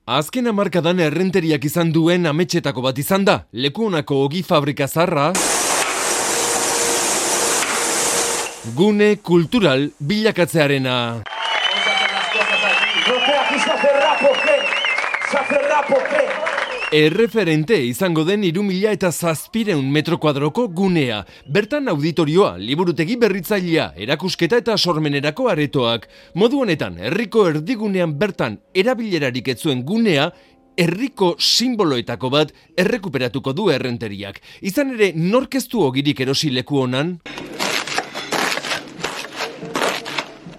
Azken hamarkadan errenteriak izan duen ametsetako bat izan da. Lekuonako ogi fabrika zaharra gune kultural bilakatzearena. Erreferente izango den 3.700 metro kuadroko gunea. Bertan auditorioa, liburutegi berritzailea, erakusketa eta sormenerako aretoak. Modu honetan, herriko erdigunean bertan erabilerarik ez zuen gunea, herriko simboloetako bat errekuperatuko du errenteriak. Izan ere, nork ez du ogirik erosi leku honan?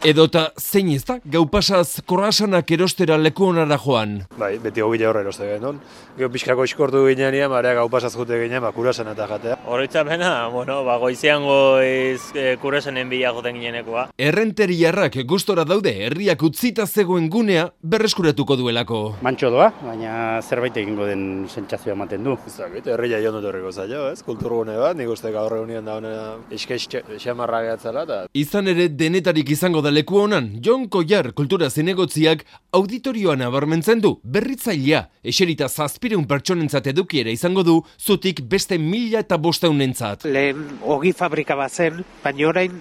Edota zein ez da, gau pasaz korrasanak erostera leku honara joan. Bai, beti ogile horre eroste genuen. Gero pixkako iskortu ginean, barea gau pasaz jute ginean, kurasana eta jatea. Horretzapena, goizean goiz kurasanen bila joten ginenekoa. Errenteriarrak gustora daude herriak utzita zegoen gunea berreskuratuko duelako. Mantxo doa, baina zerbait egingo den sentsazioa ematen du. Zagit, herria joan dut horreko zailo, ez? Kulturgune bat, nik uste gaur egunean da honena xamarra gehatzela. Izan ere denetarik izango da leku honan, Jon Koiar kultura zinegotziak auditorioan abarmentzen du, berritzailea, eserita 700 pertsonentzat edukiera izango du, zutik beste 1.500 Lehen ogi fabrika bat zen, baina orain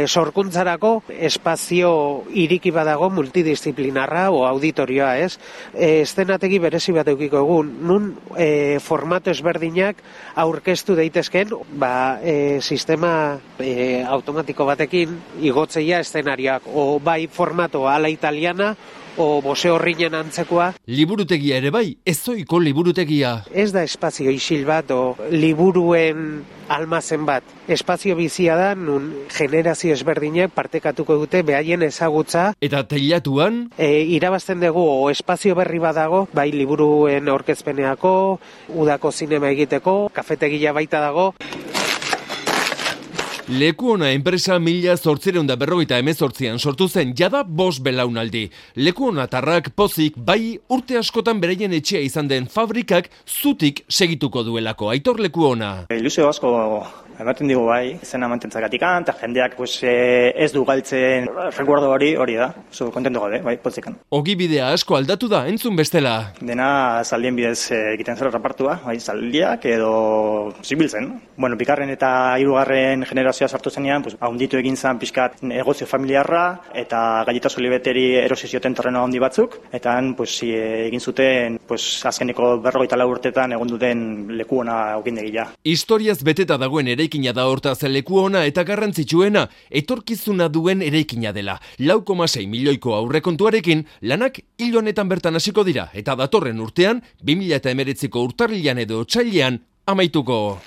sorkuntzarako espazio iriki badago multidisciplinarra o auditorioa, ez? Eszenategi berezi bat eukiko egun, nun formato ezberdinak aurkeztu daitezken, sistema automatiko batekin igotzeia eszenarioak, o bai formato ala italiana, o bose horrinen antzekoa. Liburutegia ere bai, ezoiko liburutegia. Ez da espazio isil bat, o liburuen almazen bat. Espazio bizia da, nun generazio ezberdinek partekatuko dute behaien ezagutza. Eta teilatuan? Irabazten dugu, o espazio berri badago, bai liburuen aurkezpeneako, udako zinema egiteko, kafetegia baita dago. Lekuona enpresa 1848an sortu zen, jada 5 belaunaldi. Lekuonatarrak pozik bai urte askotan beraien etxea izan den fabrikak zutik segituko duelako. Aitor Lekuona. Ilusio asko ematen digu bai, zena mantentzakatikan, eta jendeak ez du galtzen recuerdo hori da. Oso kontento gaude, bai, potzikan. Ogibidea asko aldatu da, entzun bestela. Dena zaldien bidez egiten zela repartua, bai, zaldiak edo zibiltzen. Bueno, bigarren eta hirugarren generazioa sartu zenean, haunditu egin zen pixkat negozio familiarra, eta galletazo libeteri erosi zioten terreno handi batzuk, eta egin zuten azkeneko 44 urtetan egon duten Lekuona ogindegia. Historiaz beteta dagoen eraikina da hortaz Lekuona eta garrantzitsuena, etorkizuna duen eraikina dela. 4,6 milioiko aurrekontuarekin lanak hil honetan bertan hasiko dira, eta datorren urtean 2019ko urtarrilean edo otsailean amaituko.